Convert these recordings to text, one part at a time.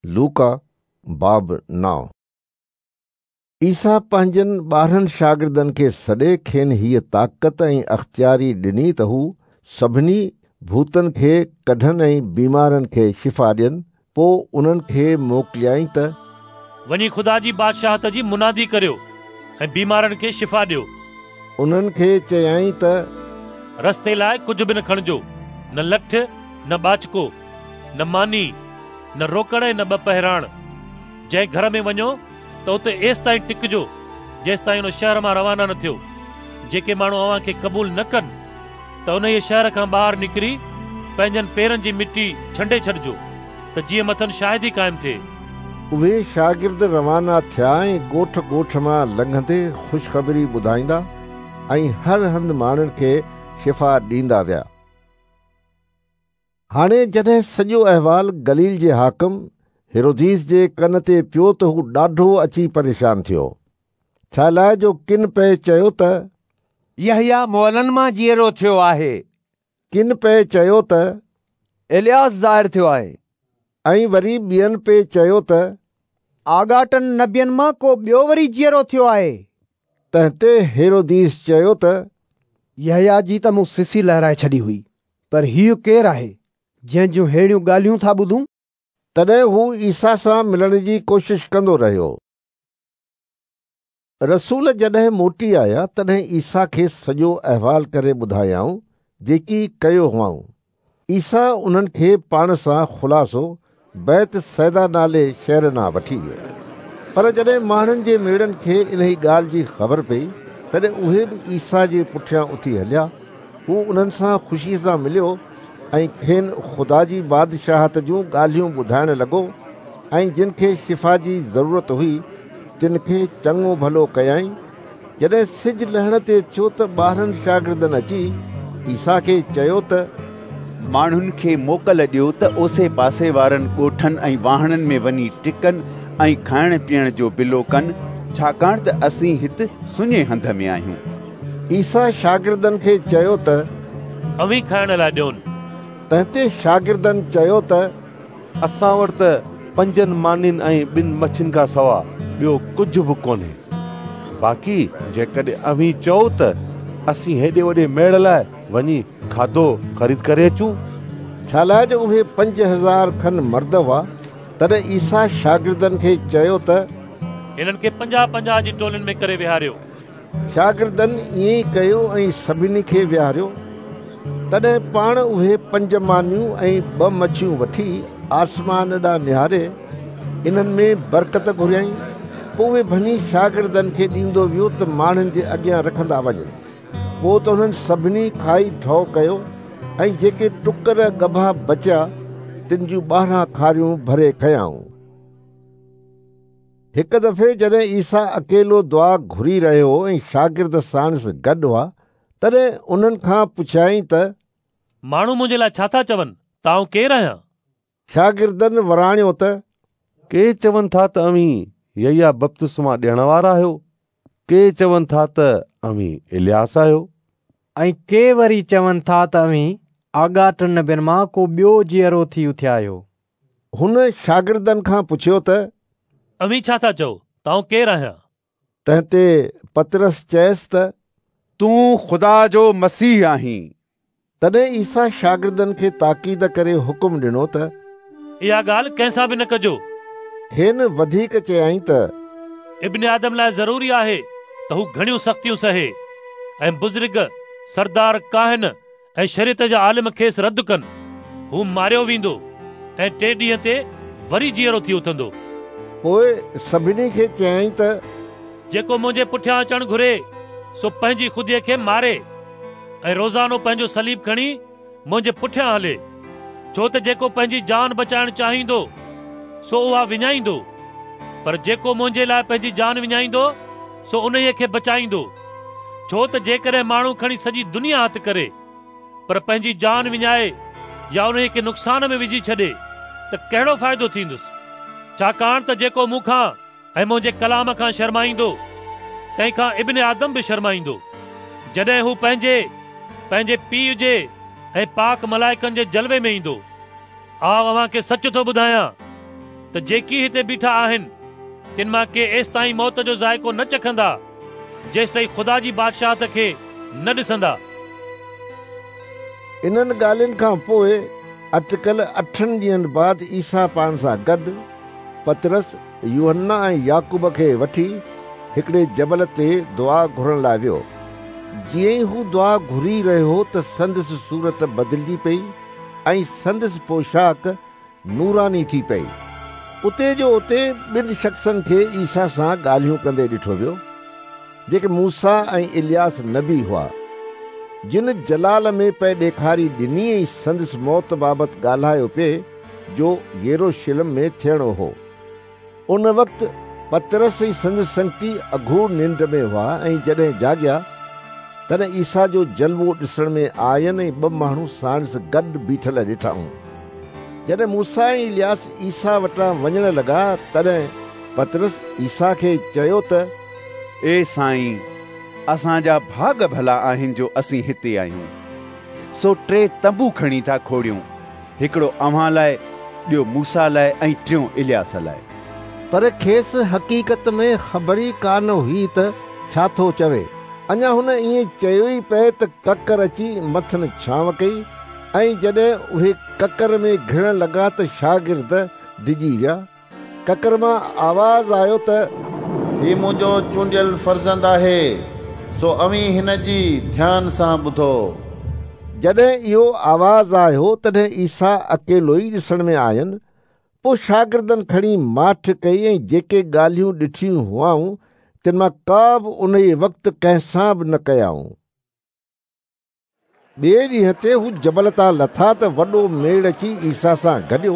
لوڪا باب 9. عيسيٰ پنهنجن 12 شاگردن کي سڏي کين هيء طاقت ۽ اختياري ڏني ته هو سڀني ڀوتن کي ڪڍن ۽ بيمارن کي شفا ڏين. پوء انهن کي موڪليائين ته وڃي خدا جي بادشاهت جي منادي ڪريو ۽ بيمارن کي شفا ڏيو. انهن کي چيائين ته رستي لاء ڪجهه به نه کڻجو، نه لٺ، نه ٻاچڪو، نه ماني، نه روڪڙ ۽ نه ٻه پهراڻ. جنهن گهر ۾ وڃو ته اتي ايستائين ٽڪجو جيستائين ان شهر مان روانا نه ٿيو. جيڪي ماڻهو اوهان کي قبول نه ڪن ته انهيء شهر کان ٻاهر نڪري پنهنجن پيرن جي مٽي ڇنڊي ڇڏجو ته جيئن مٿن شاهدي قائم ٿئي. اهي شاگرد روانا ٿيا ۽ ڳوٺ ڳوٺ مان لنگهندي خوشخبري ٻڌائيندا ۽ هر هنڌ ماڻهن کي شفا ڏيندا ويا. هاڻي جڏهن سڄو احوال گليل جي حاڪم هيروديس جي ڪن تي پيو ته هو ڏاڍو اچي پريشان ٿيو، ڇالاء جو ڪن پئي چيو ته يحيٰ مئلن مان جيئرو ٿيو آهي. ڪن پئي چيو ته الياس ظاهر ٿيو آهي. ۽ وري ٻين پئي چيو ته آڳاٽن نبين مان ڪو ٻيو وري جيئرو ٿيو آهي. تنهن تي هيروديس چيو ته يحيٰ جي ته مون سسي لهرائي ڇڏي هئي. پر هيء ڪير آهي، جنهن جون ههڙيون ڳالهيون ٿا ٻڌون؟ تڏهن هو عيسيٰ سان ملڻ جي ڪوشش ڪندو رهيو. رسول جڏهن موٽي آيا، تڏهن عيسيٰ کي سڄو احوال ڪري ٻڌايائون، جيڪي ڪيو هئائون. عيسيٰ انهن کي پاڻ سان خلاصو بيت صيدا نالي شهر ڏانهن وٺي ويو. پر جڏهن ماڻهن جي ميڙن کي انهي ڳالهه جي خبر پئي، تڏهن اهي به عيسيٰ جي پٺيان اٿي هليا. هو انهن سان خوشيء سان مليو ۽ کين خدا جي بادشاهت جون ڳالهيون ٻڌائڻ لڳو ۽ جن کي شفا جي ضرورت هئي تن کي چڱو ڀلو ڪيائين. جڏهن سج لهڻ تي ٿيو ته 12 شاگردن اچي عيسيٰ کي چيو ته ماڻهن کي موڪل ڏيو ته اوسي پاسي وارن ڳوٺن ۽ واهڻن ۾ وڃي ٽڪن ۽ کائڻ پيئڻ جو بلو ڪن، ڇاڪاڻ ته اسين هت سڃي هنڌ ۾ آهيون. عيسيٰ شاگردن کي چيو ته اوهين کائڻ لاء ڏيون. تنهن تي شاگردن چيو ته اسان وٽ ته 5 مانين ۽ 2 مڇين کان سوا ٻيو ڪجهه به ڪونهي. باقي جيڪڏهن اوهين چئو ته اسين هيڏي وڏي ميڙ لاء وڃي کاڌو خريد ڪري اچون. ڇالاء جو اهي 5000 کن مرد هئا. تڏهن عيسيٰ شاگردن کي چيو ته هنن کي 50 50 جي ٽولين ۾ ڪري ويهاريو. شاگردن ائين ئي ڪيو ۽ سڀني کي ويهاريو. تڏهن پاڻ اهي 5 مانيون ۽ 2 مڇيون وٺي آسمان ڏانهن نهاري انهن ۾ برڪت گهريائين. پوء اهي ڀڃي شاگردن کي ڏيندو ويو ته ماڻهن جي اڳيان رکندا وڃن. پوء ته انهن سڀني کائي ڍؤ ڪيو ۽ جيڪي ٽڪر ڳڀا بچيا تن جون 12 کاريون ڀري کنيائون. هڪ دفعي جڏهن عيسيٰ اڪيلو دعا گهري رهيو هو ۽ شاگرد ساڻس گڏ هئا، تڏهن انهن کان پڇيائين ته ماڻهو منهنجي لاء ڇا ٿا چون ته آئون ڪير آهيان؟ شاگردن وراڻيو ته ڪي چون ٿا ته اوهين يحيٰ بپتسما ڏيڻ وارا آهيو، ڪي چون ٿا ته اوهين الياس آهيو، ۽ ڪي وري چون ٿا ته اوهين آڳاٽن نبين مان ڪو ٻيو جيئرو ٿي اٿيا آهيو. هن شاگردن کان پڇيو ته اوهين ڇا ٿا چئو ته آئون ڪير آهيان؟ تنهن تي پطرس چيس ته تون خدا جو مسيح آهين. تڏهن عيسيٰ شاگردن کي تاڪيد ڪري حڪم ڏنو ته اها ڳالهه ڪنهن سان به نه ڪجو. کين وڌيڪ چيائين ته ابن آدم لاء ضروري آهي ته هو گهڻيون سختيون سهي ۽ بزرگ، سردار ڪاهن ۽ شريعت جا عالم کيس رد ڪن. هو ماريو ويندو ۽ ٽئين ڏينهن تي وري جيئرو ٿي اٿندو. پوء سڀني کي چيائين ته جيڪو منهنجي پٺيان اچڻ گهري، سو پنهنجي خوديء کي ماري ۽ روزانو پنهنجو صليب کڻي منهنجي پٺيان هلي. ڇو ته جيڪو پنهنجي جان بچائڻ چاهيندو، سو اها وڃائيندو، پر جيڪو منهنجي لاء پنهنجي جان وڃائيندو، سو انهيء کي بچائيندو. ڇو ته جيڪڏهن ماڻهو کڻي سڄي دنيا هٿ ڪري، پر پنهنجي جان وڃائي يا انهيء کي نقصان ۾ وجهي ڇڏي ته ڪهڙو فائدو ٿيندس؟ ڇاڪاڻ ته جيڪو مون کان ۽ منهنجي ڪلام کان شرمائيندو، تنهن کان ابن آدم به شرمائيندو، جڏهن هو پنهنجي، پنهنجي پيء جي ۽ پاڪ ملائڪن جي جلوي ۾ ايندو. آء اوهان کي سچ ٿو ٻڌايان ته جيڪي هتي بيٺا آهن تن مان ڪي ايستائين موت جو ذائقو نه چکندا جيستائين خدا جي بادشاهت کي نه ڏسندا. انهن ڳالهين کان پوء اٽڪل 8 ڏينهن بعد عيسيٰ پاڻ سان گڏ پطرس، يوحنا ۽ يعقوب کي وٺي هڪڙي جبل تي دعا گهرڻ لاء ويو. جيئن ئي هو دعا گهري رهيو هو ته سندس صورت بدلجي پئي ۽ سندس پوشاڪ نوراني ٿي پئي. اتي جو اتي ٻن شخصن کي عيسيٰ سان ڳالهيون ڪندي ڏٺو ويو، جيڪي موسيٰ ۽ الياس نبي هئا، جن جلال ۾ پئي ڏيکاري ڏني ۽ سندس موت بابت ڳالهايو پئي جو يروشلم ۾ ٿيڻو هو. ان وقت پطرس ۽ سندس سنگتي اگهور ننڊ ۾ هئا ۽ جڏهن جاڳيا، تڏهن عيسيٰ جو جلوو ڏسڻ ۾ آين ۽ ٻه ماڻهو ساڻس گڏ بيٺل ڏٺائون. جڏهن موسيٰ ۽ الياس عيسيٰ وٽان وڃڻ لڳا، تڏهن پطرس عيسيٰ کي چيو ته اي سائين، اسان جا ڀاڳ ڀلا آهن جو اسين هتي آهيون. سو 3 تنبو کڻي ٿا کوڙيون، هڪڙو اوهان لاء، ٻيو موسيٰ لاء ۽ ٽيون الياس لاء. پر کيس حقيقت ۾ خبر ئي ڪانه هئي ته ڇا ٿو چوي. اڃا هن ائين چيو ئي پئي ته ڪڪر اچي مٿن ڇانو ڪئي ۽ جڏهن اهي ڪڪر ۾ گهڙڻ لڳا ته شاگرد ڊڄي ويا. ڪڪر مان آواز آيو ته هي منهنجو چونڊيل فرزند آهي، سو اوهين هن جي ڌيان سان ٻڌو. جڏهن اهو آواز آيو تڏهن عيسيٰ اڪيلو ئي ڏسڻ ۾ آين. پوءِ شاگردن کڻي ماٺ ڪئي ۽ جيڪي ڳالهيون ڏٺيون هئائون تن مان ڪا به انهيء وقت ڪنهن سان به نه ڪيائون. ٻئي ڏينهن تي هو جبل تان لٿا ته وڏو ميڙ اچي عيسيٰ سان گڏيو.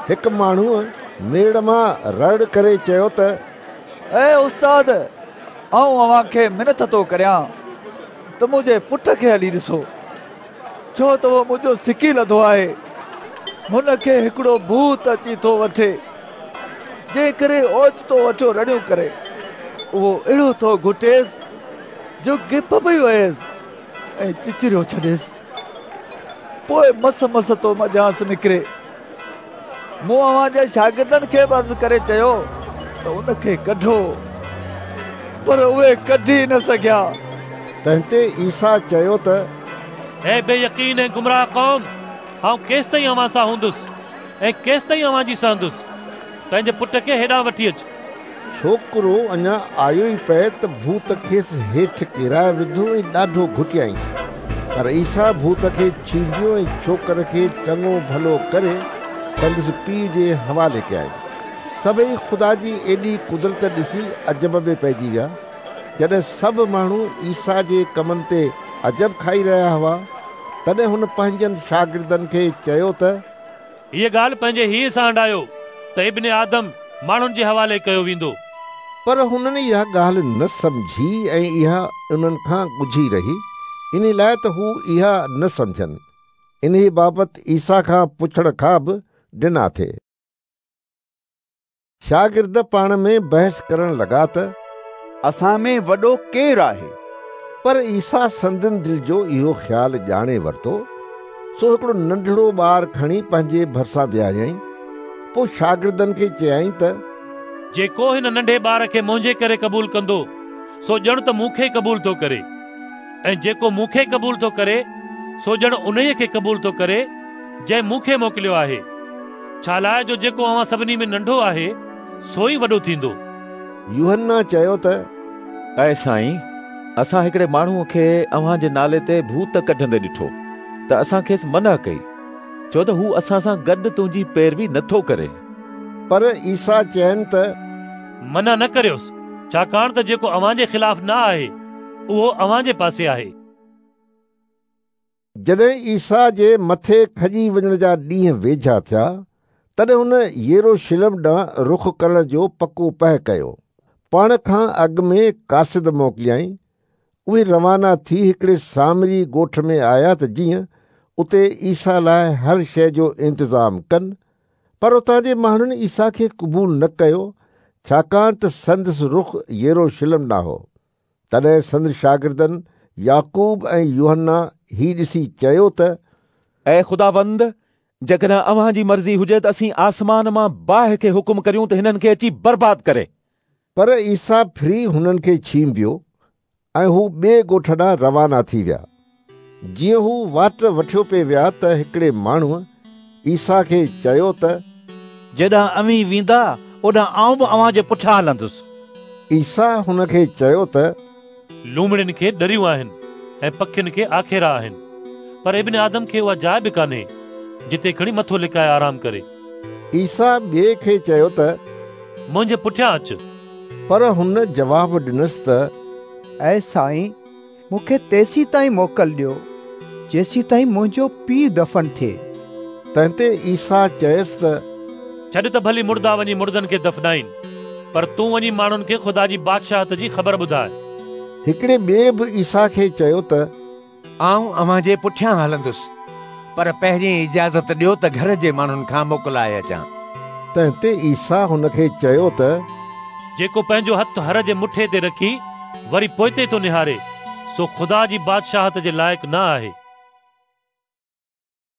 هڪ ماڻهوءَ ميڙ مان رڙ ڪري چيو ته اي استاد، آئون اوهان کي منٿ ٿو ڪريان ته منهنجي پٽ کي هلي ڏسو، ڇو ته اهو منهنجو سڪي لڌو آهي. هن کي هڪڙو ڀوت اچي ٿو وٺي، جنهن ڪري اوچتو وٺيو رڙيون ڪري. اهو اهڙو ٿو گهٽيس جو گپ پئي وهيس ۽ چچريو ڇڏيس. پوءِ مس مس ٿو منجهانئس نڪري. مون اوهان جي شاگردن کي به عرض ڪري چيو ته ان کي ڪڍو، پر اهي ڪڍي نه سگهيا. تنهن تي عيسيٰ چيو ته اي بي يقين ۽ گمراهه قوم، آئون ڪيستائين اوهان سان هوندس ۽ ڪيستائين اوهان جي سهندس؟ پنهنجي پٽ کي هيڏانهن وٺي اچ. ڇوڪرو اڃا آيو ئي پئي ته ڀوت کيس هيٺ ڪيرائي وڌو ۽ ڏاڍو گهٽيائينس. پر عيسيٰ ڀوت کي ڇينڀيو ۽ ڇوڪر کي چڱو ڀلو ڪري سندس پيءُ جي حوالي ڪيائين. سڀئي خدا جي ايڏي قدرت ڏسي عجب ۾ پئجي ويا. جڏهن سڀ ماڻهو عيسيٰ جي ڪمن تي عجب کائي رهيا هئا، تڏهن هن پنهنجن شاگردن کي چيو ته هيءَ ڳالهه پنهنجي هيئين سان هنڊايو ته ابن آدم ماڻهن جي حوالي ڪيو ويندو. پر هنن اها ڳالهه نه سمجهي ۽ اها انهن کان ڳجهي رهي، ان لاءِ ته هو اها نه سمجهن. انهيءَ بابت عيسيٰ کان پڇڻ کان به ڊنا ٿي. شاگرد پاڻ ۾ بحث ڪرڻ لڳا ته اسان ۾ وڏو ڪير آهي؟ پر عيسيٰ سندن دل جو اهو خيال ڄاڻي ورتو، سو هڪڙو ننڍڙو ٻار کڻي پنهنجي ڀرسان بيهاريائين. پوءِ شاگردن کي چيائين ته جيڪو هن ننڍي ٻار کي منهنجي ڪري قبول ڪندو، سو ڄڻ ته مون کي قبول ٿو ڪري، ۽ جيڪو مون کي قبول ٿو ڪري، سو ڄڻ انهيءَ کي قبول ٿو ڪري جنهن مون کي موڪليو آهي. ڇا لاءِ جو جيڪو اوهان سڀني ۾ ننڍو آهي، سو ئي وڏو ٿيندو. يوحنا چيو ته اي سائين، اسان هڪڙي ماڻهوءَ کي اوهان جي نالي تي ڀوت ڪڍندي ڏٺو ته اسان کيس منع ڪئي، ڇو ته هو اسان سان گڏ تنهنجي پيروي نٿو ڪري. پر عيسيٰ چين ته منع نه ڪريوس، ڇاڪاڻ ته جيڪو اوهان جي خلاف نه آهي، اهو اوهان جي پاسي آهي. جڏهن عيسيٰ جي مٿي کڄي وڃڻ جا ڏينهن ويجها ٿيا، تڏهن هن يروشلم ڏانهن رخ ڪرڻ جو پڪو پهه ڪيو. پاڻ کان اڳ ۾ قاصد موڪليائين. اهي روانا ٿي هڪڙي سامري ڳوٺ ۾ آيا ته جيئن اتي عيسيٰ لاءِ هر شيءِ جو انتظام ڪن. پر اتان جي ماڻهن عيسيٰ کي قبول نه ڪيو، ڇاڪاڻ ته سندس رخ يروشلم ڏانهن هو. تڏهن سندس شاگردن يعقوب ۽ يوحنا هي ڏسي چيو ته اي خداوند، جيڪڏهن اوهان جي مرضي هجي ته اسين آسمان مان باهه کي حڪم ڪريون ته هنن کي اچي برباد ڪري. پر عيسيٰ ڦري هنن کي ڇينڀيو ۽ هو ٻئي ڳوٺ ڏانهن روانا ٿي ويا. جيئن هو واٽ وٺيو پئي ويا ته هڪڙي ماڻهوء عيسيٰ کي چيو ته. جيڏانهن اوهين ويندا، اوڏانهن آئون به اوهان جي پٺيان هلندس. عيسيٰ هن کي چيو ته. لومڙين کي ڏريون آهن ۽ پکين کي آکيرا آهن، پر ابن آدم کي اها جاء به ڪانهي، جتي کڻي مٿو لڪائي آرام ڪري. عيسيٰ ٻئي کي چيو ته. منهنجي پٺيان اچ. پر هن جواب ڏنس ته. اي سائين، مون کي تيسيتائين موڪل ڏيو، جيسيتائين منهنجو پيء دفن ٿئي. تنهن تي عيسيٰ چيس ته. ڇڏ ته ڀلي مڙدا وڃي مڙدن کي دفنائين، پر تون وڃي ماڻهن کي خدا جي بادشاهت جي خبر ٻڌاء. هڪڙي ٻئي به عيسيٰ کي چيو ته. آئون اوهان جي پٺيان هلندس، پر پهرين اجازت ڏيو ته گهر جي ماڻهن کان موڪلائي اچان. تنهن تي عيسيٰ هن کي چيو ته. جيڪو پنهنجو هٿ هر جي مٺي تي رکي وري پوئتي ٿو نهاري، سو خدا جي بادشاهت جي لائق نه آهي.